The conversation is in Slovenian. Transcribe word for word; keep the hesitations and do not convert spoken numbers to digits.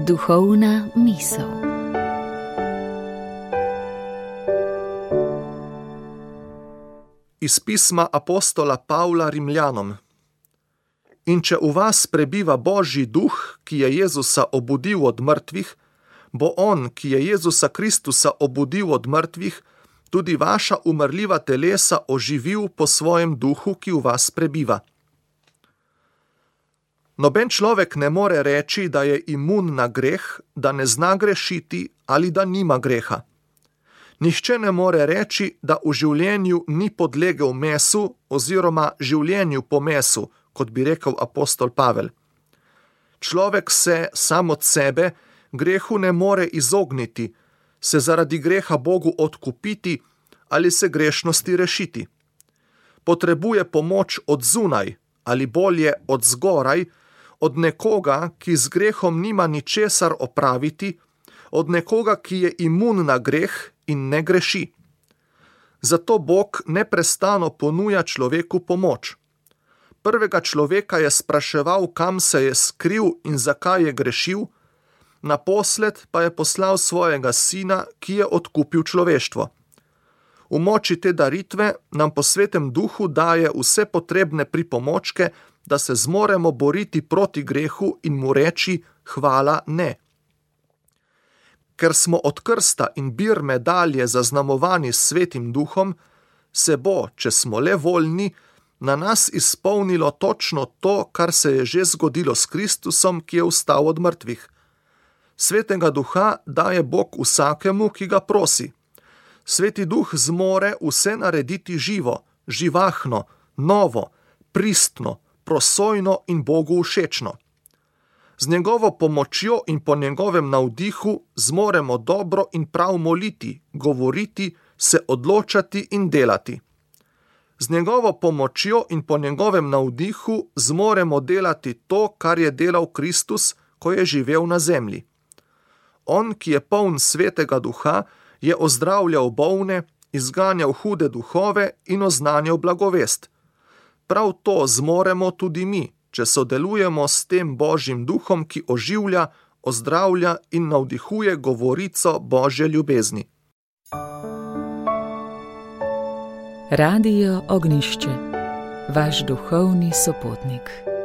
Duhovna misel. Iz pisma apostola Pavla Rimljanom. In če v vas prebiva Božji duh, ki je Jezusa obudil od mrtvih, bo on, ki je Jezusa Kristusa obudil od mrtvih, tudi vaša umrljiva telesa oživil po svojem duhu, ki v vas prebiva. Noben človek ne more reči, da je imun na greh, da ne zna grešiti ali da nima greha. Nihče ne more reči, da v življenju ni podlegel mesu oziroma življenju po mesu, kot bi rekel apostol Pavel. Človek se sam od sebe grehu ne more izogniti, se zaradi greha Bogu odkupiti ali se grešnosti rešiti. Potrebuje pomoč od zunaj ali bolje od zgoraj, od nekoga, ki z grehom nima ničesar opraviti, od nekoga, ki je imun na greh in ne greši. Zato Bog neprestano ponuja človeku pomoč. Prvega človeka je spraševal, kam se je skril in zakaj je grešil, naposled pa je poslal svojega sina, ki je odkupil človeštvo. V moči te daritve nam po Svetem duhu daje vse potrebne pripomočke, da se zmoremo boriti proti grehu in mu reči hvala ne. Ker smo od krsta in birme dalje zaznamovani s Svetim duhom, se bo, če smo le voljni, na nas izpolnilo točno to, kar se je že zgodilo s Kristusom, ki je vstal od mrtvih. Svetega duha daje Bog vsakemu, ki ga prosi. Sveti duh zmore vse narediti živo, živahno, novo, pristno, prosojno in Bogu všečno. Z njegovo pomočjo in po njegovem navdihu zmoremo dobro in prav moliti, govoriti, se odločati in delati. Z njegovo pomočjo in po njegovem navdihu zmoremo delati to, kar je delal Kristus, ko je živel na zemlji. On, ki je poln Svetega duha, je ozdravljal bolne, izganjal hude duhove in oznanjal blagovest. Prav to zmoremo tudi mi, če sodelujemo s tem Božjim duhom, ki oživlja, ozdravlja in navdihuje govorico Božje ljubezni. Radio Ognjišče, vaš duhovni sopotnik.